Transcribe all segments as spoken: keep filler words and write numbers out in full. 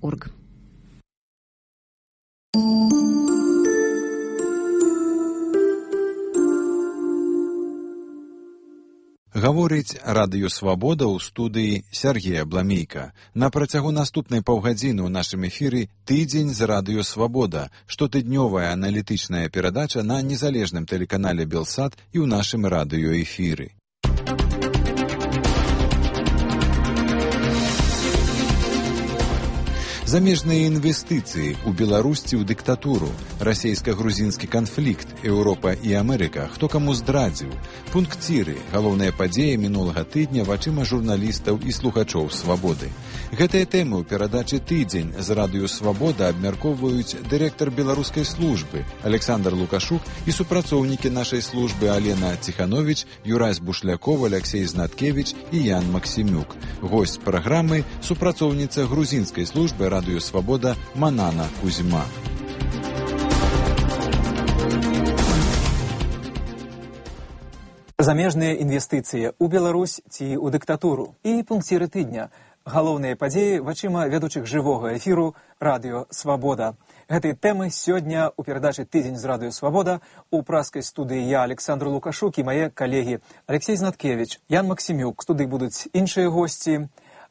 орг. Гаворыць радыё «Свабода» ў студыі Сергея Бламейка. На працягу наступнай паўгадзіны ў нашым эфіры «Тыдзень з радыё «Свабода», штотыднёвая аналітычная перадача на незалежным тэлеканале «Белсат» і ў нашым радыёэфіры. Замежныя інвестыцыі ў Беларусі ў дыктатуру, расейска-грузінскі канфлікт, Еўропа і Амерыка, хто каму здрадзіў, пункціры, галоўныя падзеі мінулага тыдня вачыма журналістаў і слухачоў «Свабоды». Гэтыя тэмы ў перадачы «Тыдзень» з радыё «Свабода» абмяркоўваюць дырэктар беларускай службы Александр Лукашук і супрацоўнікі нашай службы Алена Ціхановіч, Юрась Бушляков, Алексей Знаткевіч і Ян Максімюк. Госць праграмы – супрацоўніца грузінскай службы радыё «Свабода» Манана Кузьма. Замежныя інвестыцыі ў Беларусь ці ў дыктатуру і пункціры тыдня. Галоўныя падзеі вачыма вядучых жывога эфіру радыё «Свабода». Гэтыя тэмы сёння ў перадачы «Тыдзень з радыё «Свабода» у праскай студыі я, Александр Лукашук, і мае калегі Алексей Знаткевіч, Ян Максімюк. У студыі будуць іншыя госці.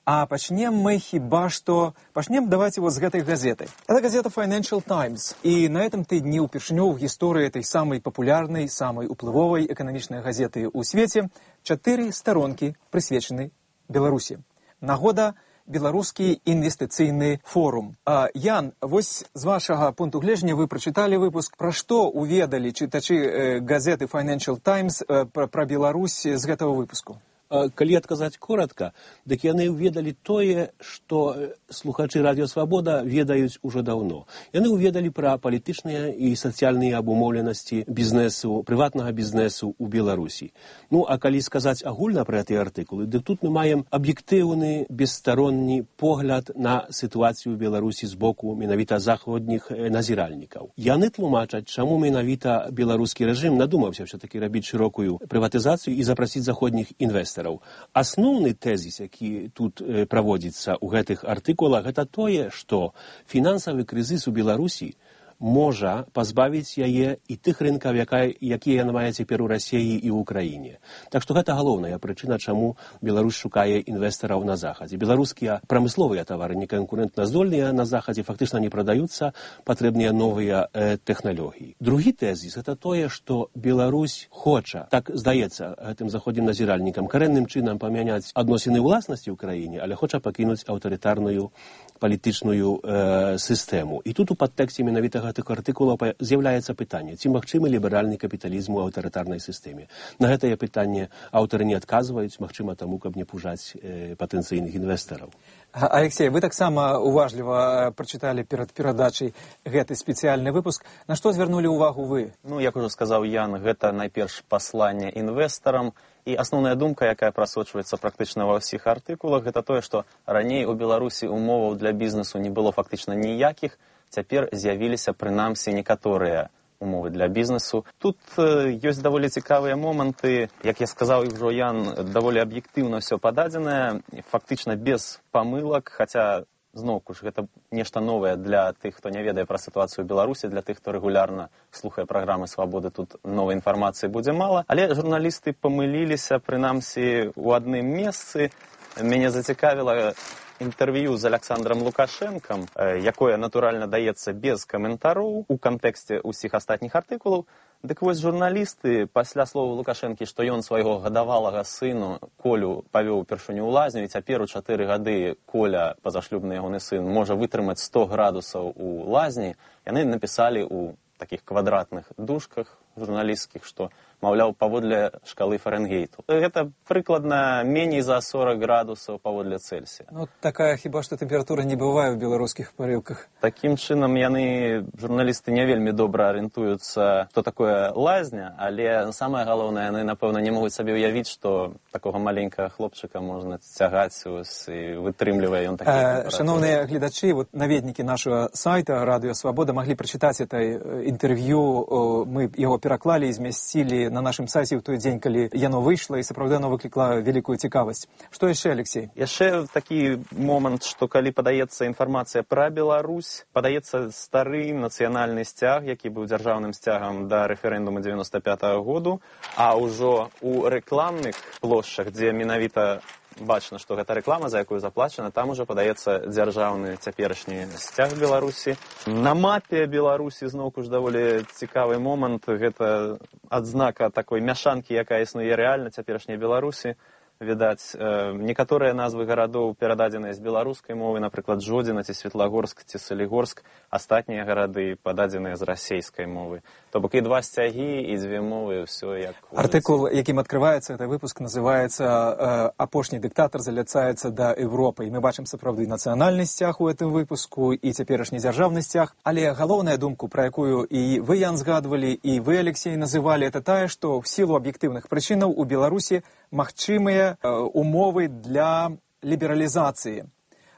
А пачнем мы хіба што... Пачнем давайте вот з гэтай газеты. Это газета Financial Times. І на этом тыдні ўпершыню ў гісторыі этой самай папулярнай, самай уплывовай эканамічнай газеты ў свеце чатыры старонкі прысвечаны Беларусі. Нагода беларускі інвестыцыйны форум. А, Ян, вось з вашага пункту гледжання вы прачыталі выпуск. Пра што уведалі чытачы э, газеты Financial Times э, пра, пра Беларусь з гэтага выпуску? Калі адказаць коротка, дык яны ўведалі тое, што слухачы радыё «Свабода» ведаюць ужо даўно. Яны ўведалі пра палітычныя і сацыяльныя абумоўленасці бізнесу, прыватнага бізнесу ў Беларусі. Ну, а калі сказаць агульна пра гэтыя артыкулы, дык тут мы маем аб'ектыўны, бесстаронні погляд на сітуацыю ў Беларусі з боку менавіта заходніх назіральнікаў. Яны тлумачаць, чаму менавіта беларускі рэжым надумаўся ўсё-такі рабіць шырокую прыватызацыю і запрасіць заходніх інвестараў. Асноўны тэзіс, які тут э, праводзіцца ў гэтых артыкулах, гэта тое, што фінансавы крызіс у Беларусі можа пазбавіць яе і тых рынкаў, якія яна мае цяпер у Расіі і ў Украіне. Так што гэта галоўная прычына, чаму Беларусь шукае інвестараў на Захадзе. Беларускія прамысловыя тавары неканкурэнтназдольныя на Захадзе фактычна не прадаюцца, патрэбныя новыя э, тэхналогіі. Другі тэзіс – гэта тое, што Беларусь хоча, так здаецца гэтым заходнім назіральнікам, карэнным чынам памяняць адносіны ўласнасці ў краіне, але хоча пакінуць аўтарытарную палітычную э, сістэму. І тут у падтэксце менавіта гэтых артыкулаў з'яўляецца пытанне, ці магчымы ліберальны капіталізм у аўтарытарнай сістэме. На гэтае пытанне аўтары не адказваюць, магчыма таму, каб не пужаць э, патэнцыйных інвестараў. Алексей, вы таксама уважліва прачыталі перад перадачай гэты спецыяльны выпуск. На што звярнулі ўвагу вы? Ну, як ужо сказаў Ян, гэта найперш пасланне інвестарам. І асноўная думка, якая прасочваецца практычна ва ўсіх артыкулах, гэта тое, што раней у Беларусі умоваў для бізнесу не было фактычна ніякіх, цяпер з'явіліся прынамсі некаторыя умовы для бізнесу. Тут э, ёсць даволі цікавыя моманты, як я сказаў ўжо Ян, даволі аб'ектыўна ўсё пададзенае, фактычна без памылак, хаця зноўку ж гэта нешта новае для тых, хто не ведае пра сітуацыю ў Беларусі, для тых, хто рэгулярна слухае праграмы «Свабоды», тут новай інфармацыі будзе мала. Але журналісты памыліліся, прынамсі, у адным месцы. Мяне зацікавіла інтэрв'ю з Александром Лукашэнкам, якое, натуральна, даецца без каментароў у кантэксце ўсіх астатніх артыкулаў. Дык вось журналісты пасля слова Лукашэнкі, што ён свайго гадавалага сыну Колю павёў упершыню ў лазню, і цяпер у чатыры гады Коля, пазашлюбны ягоны сын, можа вытрымаць сто градусаў у лазні, яны напісалі ў такіх квадратных дужках журналісцкіх, што, маўляў, паводле шкалы Фарэнгейту. Гэта прыкладна меней за сорок градусаў паводле Цельсія. Ну, такая хіба што тэмпература не бывае ў беларускіх парылках. Такім чынам яны, журналісты, не вельмі добра арыентуюцца, што такое лазня, але самае галоўнае, яны, напэўна, не могуць сабе ўявіць, што такога маленькага хлопчыка можна цягаць і вытрымлівае ён такія тэмпературы. Шановныя гледачы, вот наведнікі нашага сайта «Радыё Свабода» маглі прачытаць это інтэрв'ю, мы яго пераклалі і змясцілі на нашым сайце ў той дзень, калі яно выйшла, і сапраўды оно выклікла вялікую цікавасць. Што яшчэ, Алексей? Яшчэ такі момант, што калі падаецца інфармацыя пра Беларусь, падаецца стары нацыянальны сцяг, які быў дзяржаўным сцягам да рэферэндуму дзевяноста пятага году, а ўжо ў рэкламных плошчах, дзе менавіта бачна, што гэта рэклама, за якую заплачана, там ужо падаецца дзяржаўны цяперашні сцяг Беларусі. На мапе Беларусі зноўку ж даволі цікавы момант, гэта адзнака такой мяшанкі, якая існуе рэальна цяперашняй Беларусі. Відаць, некаторыя назвы гарадоў перададзеныя з беларускай мовы, напрыклад, Жодзіна ці Светлагорск ці Салігорск, астатнія гарады пададзеныя з расейскай мовы. То бок і два сцягі, і дзве мовы, ўсё як... Артыкул, якім адкрываецца гэты выпуск, называецца «Апошні дыктатар заляцаецца да Европы». І мы бачым сапраўды нацыянальны сцяг у гэтым выпуску і цяперашні дзяржаўны сцяг. Але галоўная думку, пра якую і вы, Ян, згадвалі, і вы, Алексей, называлі, это тая, што в сілу аб'ектыўных прычынаў у Беларусі магчымыя умовы для лібералізацыі.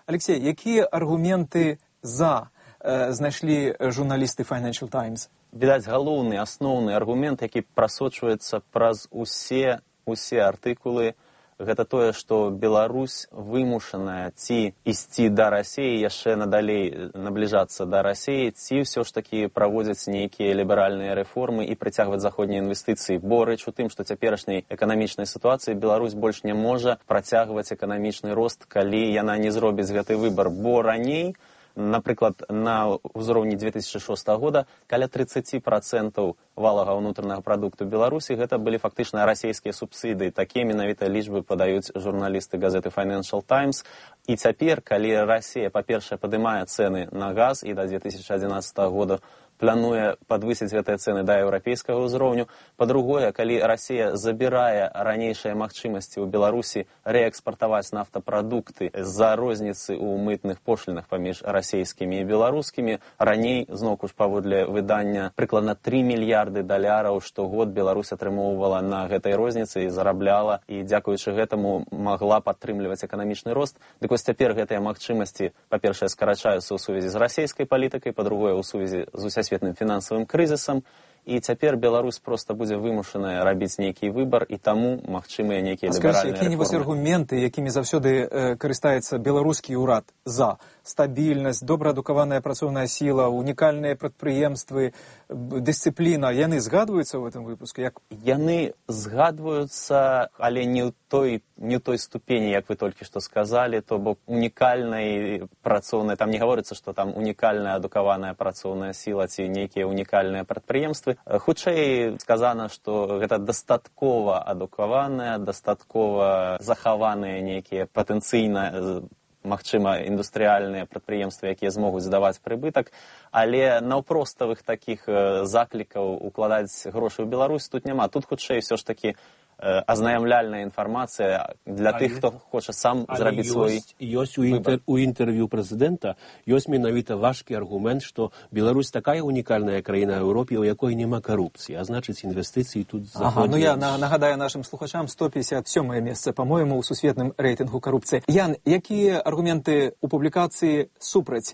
Алексей, якія аргументы за э, знайшлі журналісты Financial Times? Відаць, галоўны, асноўны аргумент, які прасочваецца праз усе, усе артыкулы, гэта тое, што Беларусь вымушаная ці ісці да Расіі, яшчэ надалей набліжацца да Расіі, ці ўсё ж такі праводзяць нейкія ліберальныя рэформы і прыцягваць заходнія інвестыцыі. Бо рэч у тым, што цяперашняй эканамічнай сітуацыі Беларусь больш не можа працягваць эканамічны рост, калі яна не зробіць гэты выбар. Бо раней, напрыклад, на ўзроўні две тысячы шостага года каля тридцать процентов валовага ўнутранага прадукту Беларусі гэта былі фактычна расійскія субсідыі. Такія менавіта лічбы падаюць журналісты газеты Financial Times. І цяпер, калі Расія, па-першае, падымае цэны на газ і да две тысячи адзінаццатага года плануе падвысіць гэтыя цэны да еўрапейскага ўзроўню. Па-другое, калі Расія забірае ранейшыя магчымасці ў Беларусі рээкспартаваць нафтапрадукты з-за розніцы ў мытных пошлінах паміж расійскімі і беларускімі, раней, зноўку ж паводле выдання, прыкладна тры мільярды даляраў штогод Беларусь атрымоўвала на гэтай розніцы і зарабляла, і дзякуючы гэтаму магла падтрымліваць эканамічны рост. Дык вось цяпер гэтыя магчымасці, па-першае, скарачаюцца ў сувязі з расійскай палітыкай, па-другое, ў сувязі з усесветным фінансавым крызісам, і цяпер Беларусь проста будзе вымушаная рабіць нейкі выбар, і таму магчымыя нейкія ліберальныя рэформы. Якія-небудзь аргументы, якімі заўсёды э, карыстаецца беларускі ўрад за стабільнасць, добраадукаваная працоўная сіла, унікальныя прадпрыемствы, дысцыпліна, яны згадваюцца ў гэтым выпуску? Як... Яны згадваюцца, але не ў той, не ў той ступені, як вы толькі што сказалі, то бок унікальнай працоўнай, там не гаворыцца, што там унікальная адукаваная працоўная сіла ці нейкія унікальныя прадпрыемствы. Хутчэй сказана, што гэта дастаткова адукаваныя, дастаткова захаваныя нейкія патэнцыйна, магчыма, індустрыяльныя прадпрыемствы, якія змогуць здаваць прыбытак, але наўпроставых такіх заклікаў укладаць грошы ў Беларусь тут няма. Тут хутчэй ўсё ж такі азнаямляльная інфармацыя для але, тых, хто хоча сам зрабіць свой ёсць у, інтер, у інтэрв'ю прэзідэнта ёсць менавіта важкі аргумент, што Беларусь такая унікальная краіна ў Еўропе, у якой няма карупцыі, а значыць інвестыцыі тут заходзяць. Ага, ну я нагадаю нашым слухачам, сто пятьдесят сёмае месца, па-моему, у сусветным рэйтынгу карупцыі. Ян, якія аргументы ў публікацыі супраць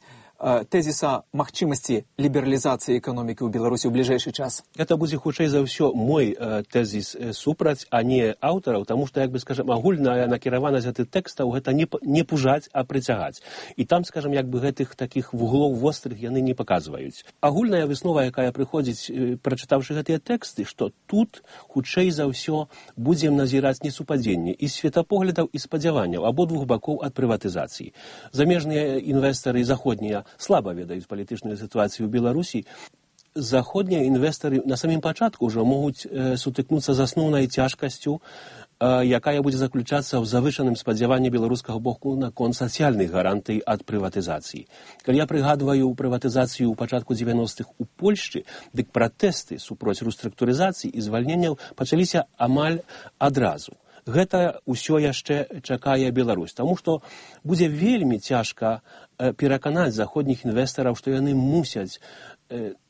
тезіса магчымасці лібералізацыі эканомікі ў Беларусі ў бліжэйшы час? Гэта будзе хутчэй за ўсё мой э, тезіс э, супраць, а не аўтараў, таму што, як бы скажам, агульная накіраванасць гэтых тэкстаў гэта не, не пужаць, а прыцягаць. І там, скажам, як бы гэтых такіх вуглоў вострых яны не паказваюць. Агульная выснова, якая прыходзіць, э, прачытаўшы гэтыя тэксты, што тут хутчэй за ўсё будзем назіраць несупадзенне і светапоглядаў і спадзяванняў абодвух бакоў ад прыватызацыі. Замежныя інвестары заходнія слаба ведаюць палітычную сітуацыю ў Беларусі. Заходнія інвестары на самім пачатку ўжо могуць э, сутыкнуцца з асноўнай цяжкасцю, э, якая будзе заключацца ў завышаным спадзяванні беларускага боку наконт сацыяльных гарантый ад прыватызацыі. Калі я прыгадваю прыватызацыю ў пачатку дзевяностых у Польшчы, дык пратэсты супроць рэструктурызацыі і звальненняў пачаліся амаль адразу. Гэта ўсё яшчэ чакае Беларусь, таму што будзе вельмі цяжка пераканаць заходніх інвестараў, што яны мусяць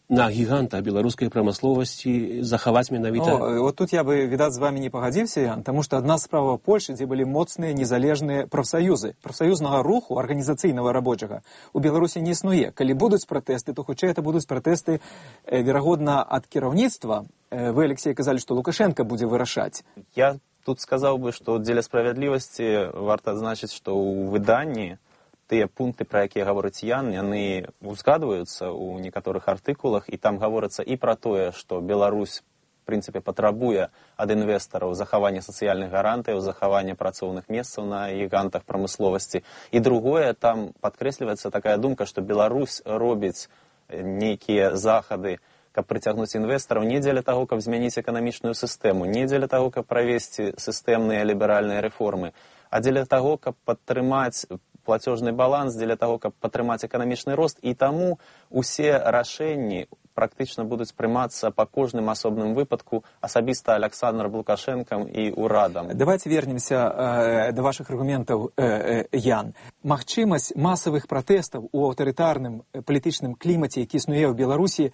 на гігантах беларускай прамысловасці захаваць менавіта... О, вот тут я бы, відаць, з вами не пагадзіўся, Ян, таму што адна справа Польшы, дзе былі моцныя незалежныя прафсаюзы. Прафсаюзнага руху, арганізацыйнага рабочага, у Беларусі не існуе. Калі будуць пратэсты, то хутчэй это будуць пратэсты, э, верагодна, ад кіраўніцтва. Э, вы, Алексей, казалі, што Лукашенко будзе вырашаць. Я тут сказаў бы, што дзеля справядлівасці варта адзначыць, што ў выданні тыя пункты, пра якія гаворыць Ян, яны узгадваюцца ў некаторых артыкулах, і там гаворыцца і пра тое, што Беларусь, в прынцыпе, патрабуе ад інвестараў захавання сацыяльных гарантыяў, захавання працоўных месцаў на гігантах прамысловасці. І другое, там падкрэсліваецца такая думка, што Беларусь робіць нейкія захады, каб прыцягнуць інвестараў не дзеля таго, каб змяніць эканамічную сістэму, не дзеля таго, каб правесці сістэмныя ліберальныя рэформы, а дзеля таго, каб падтрымаць плацежны баланс, дзеля таго, каб падтрымаць эканамічны рост, і таму усе рашэнні практычна будуць прымацца па кожным асобным выпадку асабіста Александром Лукашэнкам і ўрадам. Давайте вернемся э, до ваших аргументаў, э, э, Ян. Магчымасць масавых пратэстаў у аўтарытарным палітычным клімаце, які існуе ў Беларусі,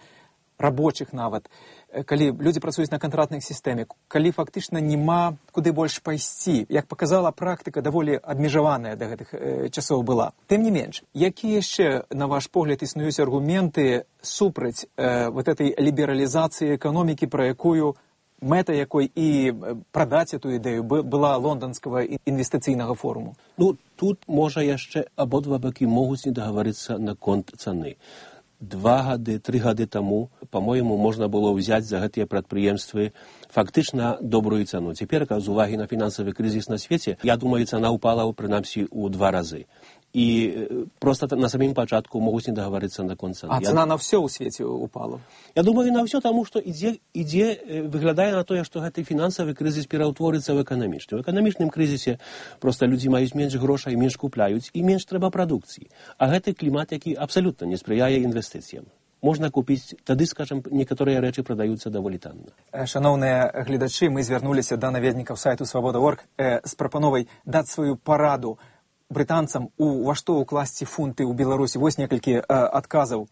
рабочих нават, калі людзі працуюць на кантрактнай сістэме, калі фактычна няма куды больш пайсці. Як паказала практыка, даволі абмежаваная да гэтых э, часоў была. Тым не менш, якія яшчэ, на ваш погляд, існуюць аргументы супраць э, вот этой лібералізацыі эканомікі, пра якую мэта якой і прадаць эту ідэю была лонданскага інвестыцыйнага форуму? Ну, тут, можа, яшчэ абодва бакі могуць не дагаварыцца наконт цаны. Два гады, тры гады таму, по-моему, можна было ўзяць за гэтыя прадпрыемствы фактычна добрую цану. Цяпер, з увагі на фінансавы крызіс на свеце, я думаю, цана ўпала, прынамсі, у два разы. І просто на самім пачатку могуць не дагаварыцца наконт цаны. А цана я... на ўсё ў свеце упала? Я думаю, на ўсё, таму што ідзе, ідзе, выглядае на тое, што гэты фінансавы крызіс пераўтворыцца ў эканамічны. У эканамічным крызісе проста людзі маюць менш грошай, менш купляюць і менш трэба прадукцыі. А гэты клімат, які абсалютна не спрыяе інвестыцыям. Можна купіць, тады, скажам, некаторыя рэчы прадаюцца даволі танна. Шаноўныя гледачы, мы звярнуліся да наведнікаў сайту свабода точка орг э, з прапановай даць сваю параду брытанцам, у ва што ўкласці фунты ў Беларусі. Вось некалькі э, адказаў.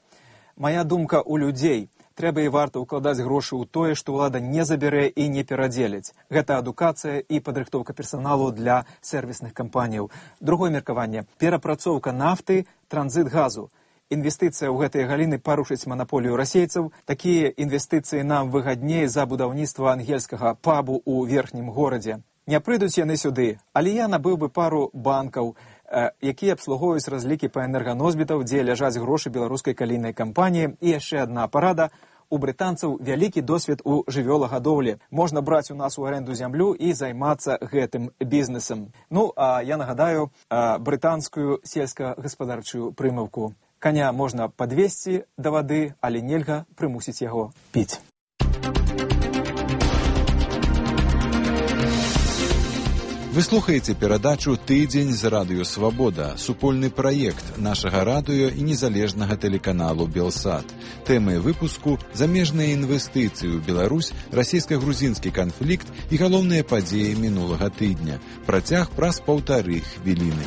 Мая думка у людзей. Трэба і варта ўкладаць грошы ў тое, што ўлада не забярэ і не перадзеліць. Гэта адукацыя і падрыхтоўка персаналу для сервісных кампаніяў. Другое меркаванне. Перапрацоўка нафты, транзіт газу. Інвестыцыя ў гэтыя галіны парушыць манаполію расейцаў. Такія інвестыцыі нам выгадней за будаўніцтва ангельскага пабу ў верхнім горадзе. Не прыйдуць яны сюды, але я набыў бы пару банкаў, э, якія абслугоўваюць разлікі па энерганосьбітаў, дзе ляжаць грошы беларускай калійнай кампаніі. І яшчэ адна парада. У брытанцаў вялікі досвед у жывёлагадоўлі. Можна браць у нас у аренду зямлю і займацца гэтым бізнесам. Ну, а я нагадаю э, брытанскую сельскагаспадарчую прымаўку. Каня можна падвесці да вады, але нельга прымусіць яго піць. Вы слухаеце перадачу «Тыдзень з радыё Свабода», супольны праект нашага радыё і незалежнага тэлеканалу «Белсат». Тэмы выпуску – замежныя інвестыцыі ў Беларусь, расійска-грузінскі канфлікт і галоўныя падзеі мінулага тыдня. Працяг праз паўтары хвіліны.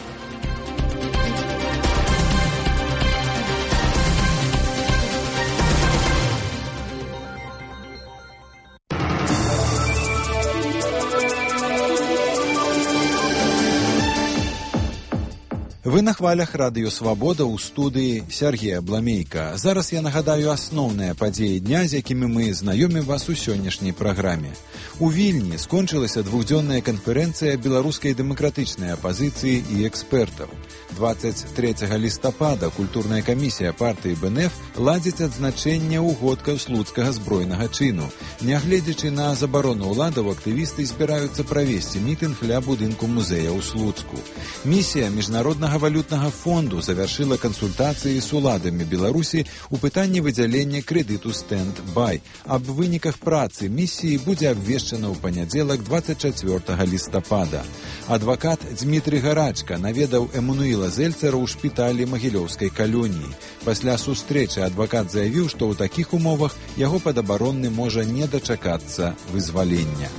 Вы на хвалях радыё Свабода ў студыі Сергея Бламейка. Зараз я нагадаю асноўныя падзеі дня, з якімі мы знаёмім вас у сённяшняй праграме. У Вільні скончылася двухдзённая канферэнцыя беларускай дэмакратычнай апазіцыі і экспертаў. дваццаць трэцяга лістапада культурная камісія партыі бэ эн эф ладзіць адзначэнне ўгодкаў слуцкага збройнага чыну. Нягледзячы на забарону ўладаў, актывісты збіраюцца правесці мітынг ля будынку музея ў Слуцку. Місія міжнароднага валютнага фонду завяршыла кансультацыі з уладамі Беларусі ў пытанні выдзялення крэдыту «Стэнд-бай». Аб выніках працы місіі будзе абвешчана ў панядзелак дваццаць чацвёртага лістапада. Адвакат Дмітрый Гарачка наведаў Эммануіла Зельцера ў шпіталі Магілёўскай калоніі. Пасля сустрэчы адвакат заявіў, што ў такіх умовах яго падабаронны можа не дачакацца вызвалення.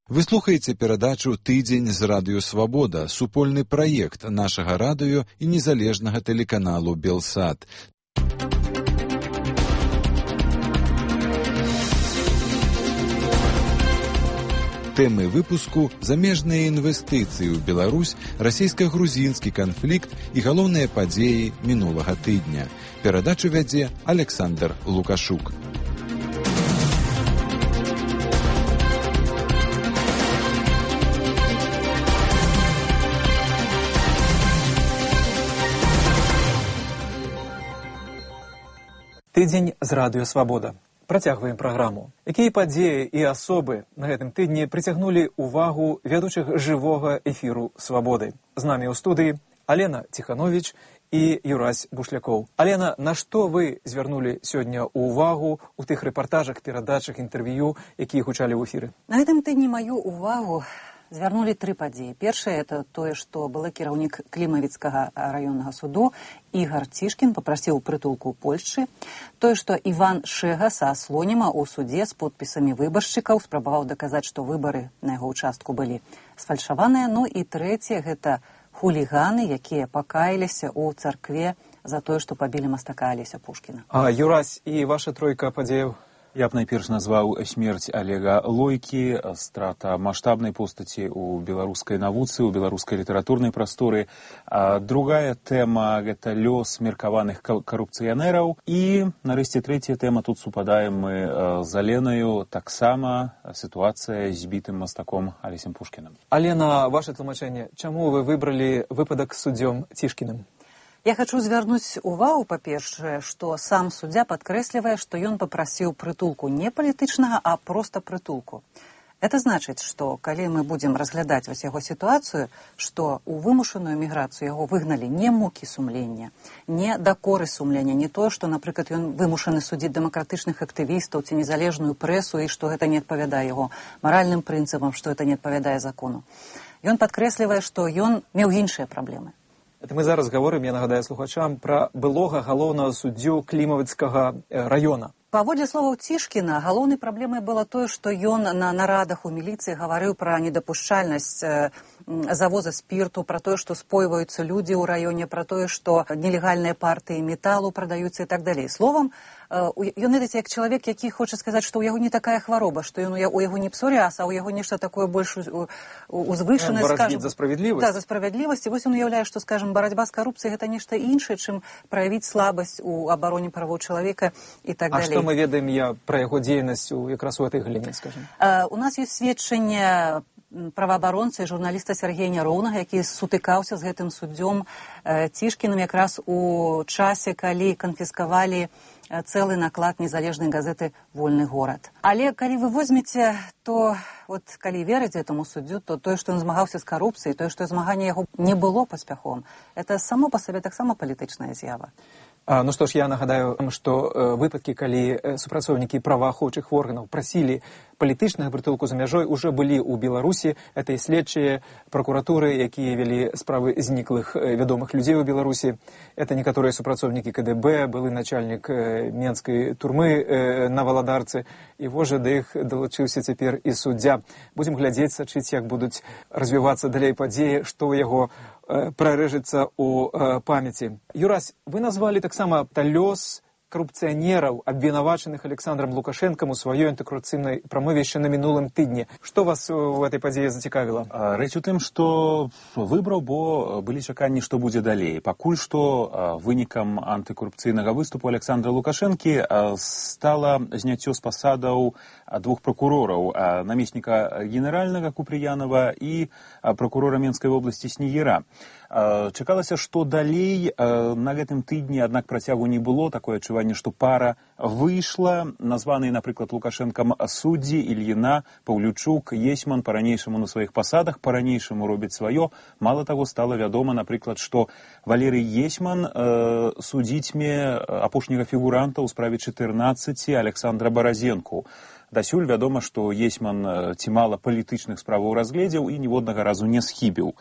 Вы слухаеце перадачу «Тыдзень з радыё Свабода», супольны праект нашага радыё і незалежнага тэлеканалу «Белсат». Тэмы выпуску замежныя інвестыцыі ў Беларусь, расійска-грузінскі канфлікт і галоўныя падзеі мінулага тыдня. Перадачу вядзе Александр Лукашук. Тыдзень з радыё Свабода. Працягваем праграму. Якія падзеі і асобы на гэтым тыдні прыцягнулі ўвагу вядучых жывога эфіру Свабоды? З намі ў студыі Алена Ціхановіч і Юрась Бушлякоў. Алена, на што вы звярнулі сёння ўвагу ў тых рэпартажах, перадачах, інтэрв'ю, якія гучалі ў эфіры? На гэтым тыдні маю ўвагу звярнулі тры падзеі. Першае — это тое, што былы кіраўнік Клімавіцкага раённага суду Ігар Цішкін папрасіў прытулку ў Польшчы. Тое, што Іван Шэга са Слоніма ў судзе з подпісамі выбаршчыкаў спрабаваў даказаць, што выбары на яго ўчастку былі сфальшаваныя. Ну і трэцяе — гэта хуліганы, якія пакаяліся ў царкве за тое, што пабілі мастака Алеся Пушкіна. А Юрась, і ваша тройка падзеяў? Я б найперш назваў смерць Олега Лойкі, страта маштабнай постаці ў беларускай навуцы, ў беларускай літаратурнай прасторы. А другая тэма — гэта лёс меркаваных карупцыянераў. І, нарэшце, трэцяя тэма, тут супадаем мы з Аленаю, таксама сітуацыя з бітым мастаком Алесем Пушкінам. Алена, ваше тлумачэнне, чаму вы выбралі выпадак з суддзём Цішкіным? Я хочу звярнуць увагу, па-першае, што сам суддзя падкрэслівае, што ён папрасіў прытулку не палітычнага, а проста прытулку. Это значыць, што калі мы будзем разглядаць вось яго сітуацыю, што ў вымушаную міграцыю яго выгналі не мукі сумлення, не дакоры сумлення, не тое, што, напрыклад, ён вымушаны судзіць дэмакратычных актывістаў ці незалежную прэсу і што гэта не адпавядае яго маральным прынцыпам, што гэта не адпавядае закону. Ён падкрэслівае, што ён меў іншыя праблемы. Это мы зараз гаворым, я нагадаю слухачам, пра былога галоўнага суддзю Клімавіцкага раёна. Паводле словаў Цішкіна, галоўнай праблемай было тое, што ён на нарадах у міліцыі гаварыў пра недапушчальнасць завоза спірту, пра тое, што спойваюцца людзі ў раёне, пра тое, што нелегальныя партыі металу прадаюцца і так далей. Словам, ён ведаце, як чалавек, які хоча сказаць, што ў яго не такая хвароба, што ён у яго не псоріаз, а ў яго нешта такое больш узвышанае, скажем. За справядлівасць. Да, за справядлівасць. І вось ён уяўляе, што, скажем, барацьба з карупцыяй — гэта нешта іншае, чым праявіць слабасць у абароне правоў чалавека і так далей. А што мы ведаем я пра яго дзейнасць якраз у гэтай галіне, скажем? У нас ёсць сведчанне праваабаронца і журналіста Сергея Няроўнага, які сутыкаўся з гэтым суддзём Цішкіным якраз у часе, калі канфіскавалі цэлы наклад незалежнай газеты «Вольны горад». Але калі вы возьмеце, то вот калі верыць гэтаму суддзю, то тое, што ён змагаўся з карупцыяй, тое, што змаганне яго не было паспяховым, это само па сабе таксама палітычная з'ява. А, ну што ж, я нагадаю, што э, выпадкі, калі э, супрацоўнікі праваахоўчых органаў прасілі палітычных прытулку за мяжой, уже былі ў Беларусі. Это і следчыя пракуратуры, якія вялі справы зніклых э, вядомых людзей у Беларусі. Это некаторыя супрацоўнікі ка дэ бэ, былы начальнік э, менскай турмы э, на Валадарцы. І вось жа да іх далучыўся цяпер і суддзя. Будзем глядзець, сачыць, як будуць развівацца далей падзеі, што ў яго э, прарэжыцца ў э, памяці. Юрась, вы назвалі таксама лёс карупцыянераў, абвінавачаных Александром Лукашэнкам у сваёй антыкарупцыйнай прамове яшчэ на мінулым тыдні. Што вас у гэтай падзеі зацікавіла? Рэч у тым, што выбраў, бо былі чаканні, што будзе далей. Пакуль што вынікам антыкарупцыйнага выступу Александра Лукашэнкі стала зняццё з пасадаў двух пракурораў, намесніка генеральнага Купрыянова і пракурора Менскай вобласці Снегіра. Чакалася, што далей на гэтым тыдні, аднак працягу не было. Такое адчуванне, што пара выйшла. Названыя, напрыклад, Лукашэнкам суддзі Ільіна, Паўлючук, Есьман па-ранейшаму на сваіх пасадах, па-ранейшаму робяць сваё. Мала таго, стала вядома, напрыклад, што Валерый Есьман э, судзіцьме апошняга фігуранта ў справе чатырнаццаці Александра Баразенку. Дасюль вядома, што Есьман ці мала палітычных справаў разгледзеў і ніводнага разу не схібіў.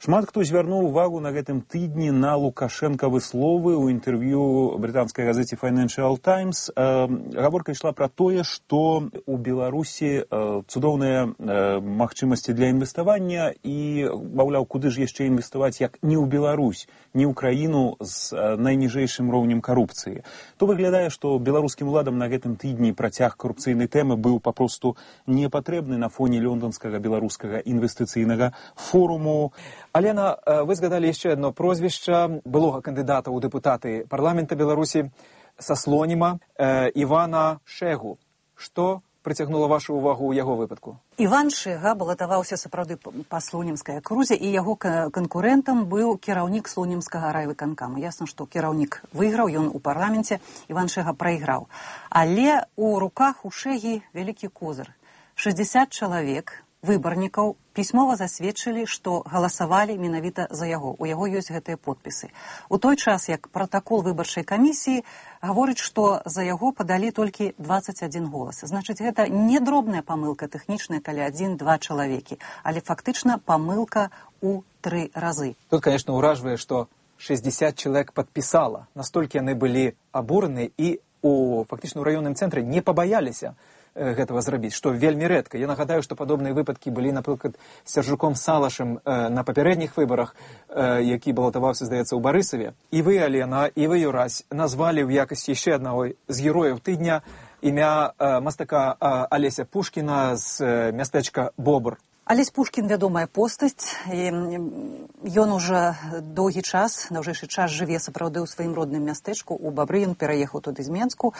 Шмат хто звярнуў увагу на гэтым тыдні на лукашэнкавы словы ў інтэрв'ю брытанскай газеце Financial Times. Гаворка ішла пра тое, што у Беларусі цудоўныя магчымасці для інвеставання і, маўляў, куды ж яшчэ інвеставаць, як не ў Беларусь, не ў краіну з найніжэйшым роўнем карупцыі. То выглядае, што беларускім уладам на гэтым тыдні працяг карупцыйнай тэмы быў папросту не патрэбны на фоне лёнданскага беларускага інвестыцыйнага форуму. Алена, вы згадалі яшчэ одно прозвішча былога кандыдата ў дэпутаты парламента Беларусі са слоніма э, Івана Шэгу. Што прыцягнула вашу увагу ў яго выпадку? Іван Шэга балатаваўся сапраўды па слонімскай акрузе, і яго канкурэнтам быў кіраўнік слонімскага райвыканкама. Ясна, што кіраўнік выйграў, ён у парламенце, Іван Шэга прайграў. Але у руках у Шэгі вялікі козыр. шэсцьдзесят чалавек выбарнікаў пісьмова засведчылі, што галасавалі менавіта за яго. У яго ёсць гэтыя подпісы. У той час, як пратакол выбарчай камісіі гаворыць, што за яго падалі толькі дваццаць адзін голас. Значыць, гэта не дробная памылка тэхнічная, калі адзін-два чалавекі, але фактычна памылка ў тры разы. Тут, конечно, ўражвае, што шэсцьдзесят чалавек падпісала. Настолькі яны былі абураны і у фактычна ў раённым цэнтры не пабаяліся гэтага зрабіць, што вельмі рэдка. Я нагадаю, што падобныя выпадкі былі, напрыклад, з Сяржуком Салашым э, на папярэдніх выбарах, э, які балатаваўся, здаецца, ў Барысаве. І вы, Алена, і вы, Юрась, назвалі ў якасці яшчэ аднаго з герояў тыдня імя э, мастака э, Алеся Пушкіна з э, мястэчка Бобр. Алесь Пушкін вядомая постаць, ён уже доўгі час, даўжэйшы час жыве сапраўды ў сваім родным мястэчку, у Бабры, ён пераехаў туды з Менску,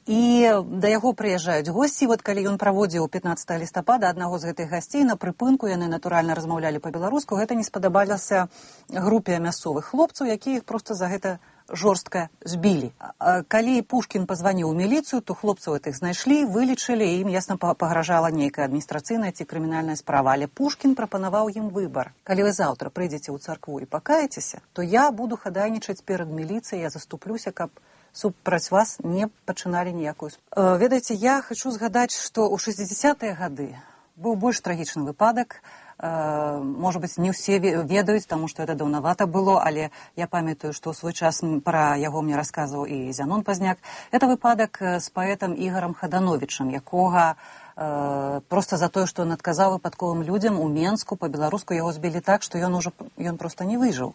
і да яго прыязджаюць госці. Вот калі ён праводзіў пятнаццатага лістапада аднаго з гэтых гасцей на прыпынку, яны натуральна размаўлялі па-беларуску, гэта не спадабалася групе мясцовых хлопцаў, якія іх проста за гэта жорстка збілі. Калі Пушкін пазваніў у міліцыю, то хлопцаў гэтых знайшлі, вылічылі, і ім ясна пагражала нейкая адміністрацыйная ці крымінальная справа. Але Пушкін прапанаваў ім выбар. Калі вы заўтра прыйдзеце ў царкву і пакаецеся, то я буду хадайнічаць перад міліцыяй, я заступлюся, каб супраць вас не пачыналі ніякую. Э, ведаеце, я хочу згадаць, што ў шэсцьдзесятыя гады быў больш трагічны выпадак. Э, можа быць, не ўсе ведаюць, таму што это даўнавата было, але я памятаю, што ў свой час пра яго мне расказваў і Зянон Пазняк. Это выпадак з паэтам Ігарам Хадановічам, якога э, проста за тое, што ён адказаў выпадковым людзям у Менску, па-беларуску яго збілі так, што ён ужо ён проста не выжыў.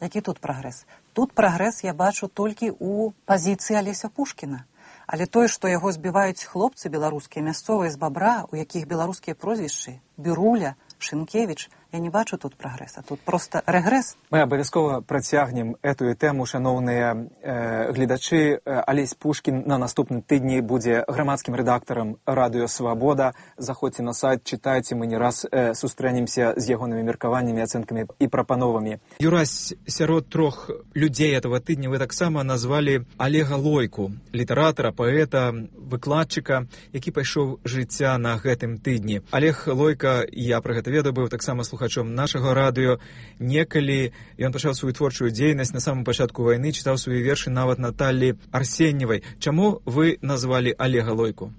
Які тут прагрэс? Тут прагрэс я бачу толькі ў пазіцыі Алеся Пушкіна. Але тое, што яго збіваюць хлопцы беларускія, мясцовыя з Бабра, у якіх беларускія прозвішчы, Біруля, Шынкевіч, я не бачу тут прагрэса, тут просто рэгрэс. Мы абавязкова працягнем эту тэму, шаноўныя э, гледачы. Алесь Пушкін на наступным тыдні будзе грамадскім рэдактарам радыё Свабода. Заходзьце на сайт, чытайце, мы не раз э, сустрэнемся з ягонымі меркаваннямі, ацэнкамі і прапановамі. Юрась, сярод трох людзей этого тыдня вы таксама назвалі Олега Лойку, літаратара, паэта, выкладчыка, які пайшоў жыцця на гэтым тыдні. Олег Лойка, я пра гэта ведаю, быў таксама слухачом нашага радыё. Некалі ён пачаў сваю творчую дзейнасць на самым пачатку вайны, чытаў свае вершы нават Наталлі Арсеньевай. Чаму вы назвалі Олега Лойку?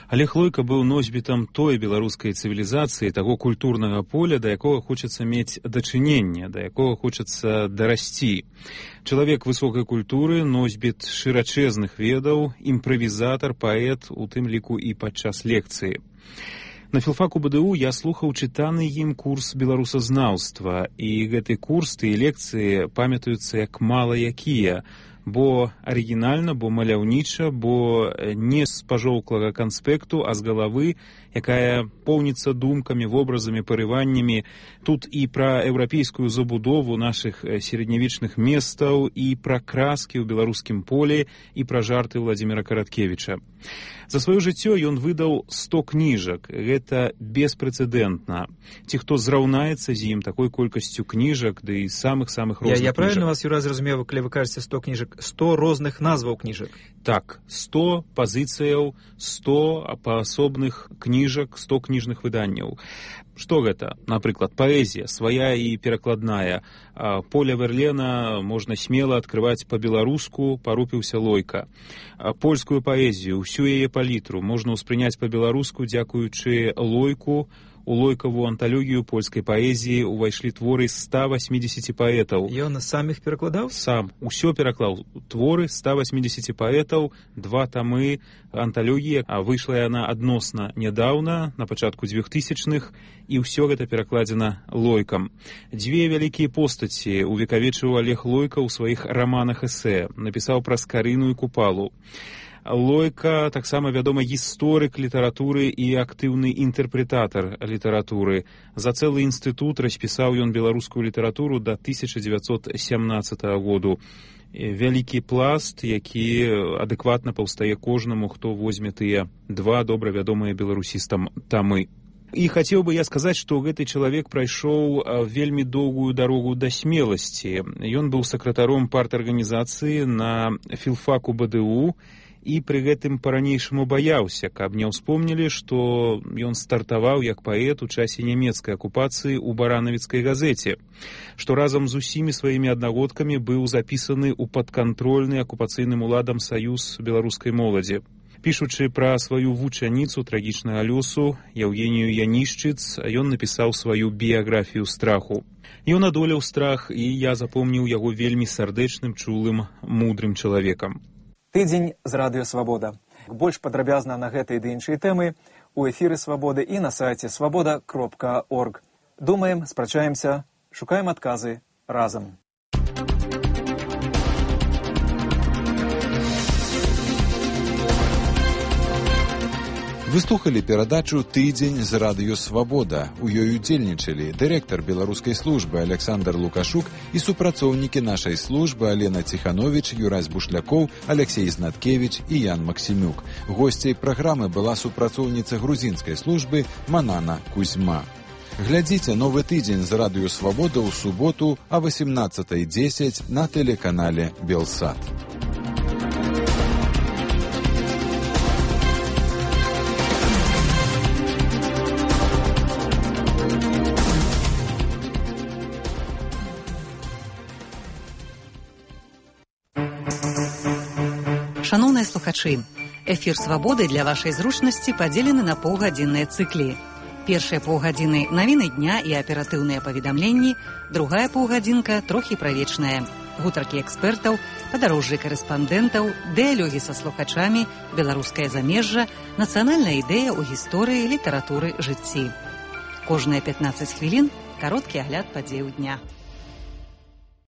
Олег Лойка быў носьбітам той беларускай цывілізацыі, таго культурнага поля, да якога хочацца мець дачыненне, да якога хочацца дарасці. Чалавек высокай культуры, носьбіт шырачэзных ведаў, імправізатар, паэт, у тым ліку і падчас лекцыі. На філфаку БДУ я слухаў чытаны ім курс беларусазнаўства, і гэты курс, тыя лекцыі памятаюцца як мала якія, бо арыгінальна, бо маляўніча, бо не з пажоўклага канспекту, а з галавы, якая поўніцца думкамі, вобразамі, парываннямі. Тут і пра еўрапейскую забудову нашых сярэднявечных месцаў, і пра краскі ў беларускім полі, і пра жарты Владзіміра Караткевіча. За сваё жыццё ён выдаў сто кніжак. Гэта беспрэцэдэнтна. Ці хто зраўнаецца з ім такой колькасцю кніжак, ды і самых-самых розных я, я кніжак. Я правильно вас, Юра, зразумеў, калі вы кажаце сто кніжак? сто розных назваў кніжак? Так, сто пазіцыяў, сто паасобных кніжак, сто кніжных выданняў. Што гэта? Напрыклад, паэзія, свая і перакладная. Поля Верлена можна смела адкрываць па-беларуску, парупіўся Лойка. Польскую паэзію, усю яе палітру можна ўспрыняць па-беларуску, дзякуючы Лойку. У Лойкаву анталогію польскай паэзіі ўвайшлі творы ста восьмидесяти паэтаў. Ён сам іх перакладаў? Сам. Усё пераклаў. Творы ста восьмидесяти паэтаў, два тамы анталогіі, а выйшла яна адносна нядаўна, на пачатку двухтысячных, і ўсё гэта перакладзена Лойкам. Дзве вялікія постаці увекавечыў Олег Лойка ў сваіх раманах-эсэ. Напісаў пра Скарыну і Купалу. Лойка таксама вядома гісторык літаратуры і актыўны інтэрпрэтатар літаратуры. За цэлы інстытут распісаў ён беларускую літаратуру да тысяча дзевяцьсот сямнаццатага году. Вялікі пласт, які адэкватна паўстае кожнаму, хто возьме тыя два добра вядомыя беларусістам тамы. І хацеў бы я сказаць, што гэты чалавек прайшоў вельмі доўгую дарогу да смеласці. Ён быў сакратаром парт-арганізацыі на філфаку бэ дэ у, і пры гэтым па-ранейшаму баяўся, каб не ўспомнілі, што ён стартаваў як паэт у часе нямецкай акупацыі ў баранавіцкай газеце, што разам з усімі сваімі аднагодкамі быў запісаны ў падкантрольны акупацыйным уладам саюз беларускай моладзі. Пішучы пра сваю вучаніцу трагічнага лёсу Яўгенію Янішчыц, ён напісаў сваю біяграфію страху. Ён адолеў страх, і я запомніў яго вельмі сардэчным, чулым, мудрым чалавекам. Тыдзень з радыё Свабода. Больш падрабязна на гэтай ды іншай тэмы у эфіры Свабоды і на сайце свабода кропка орг. Думаем, спрачаемся, шукаем адказы разам. Вы слухали перадачу «Тыдзень з радыё Свабода». У ёй удзельнічалі дырэктар беларускай службы Александр Лукашук і супрацоўнікі нашай службы Алена Ціхановіч, Юрась Бушлякоў, Алексей Знаткевіч і Ян Максімюк. Госцяй праграмы была супрацоўніца грузінскай службы Манана Кузьма. Глядзіце новы тыдзень з радыё Свабода ў суботу а восемнадцатай дзесяць на тэлеканале Белсат. Шановныя слухачы, эфір «Свабоды» для вашай зручнасці падзелены на паўгадзінныя цыклі. Першыя паўгадзіны навіны дня і аператыўныя паведамленні, другая паўгадзінка трохі пра вечнае. Гутаркі экспертаў, падарожжы карэспандэнтаў, дыялогі са слухачамі, беларускае замежжа, нацыянальная ідэя ў гісторыі, літаратуры, жыцці. Кожныя пятнаццаць хвілін кароткі агляд падзеяў дня.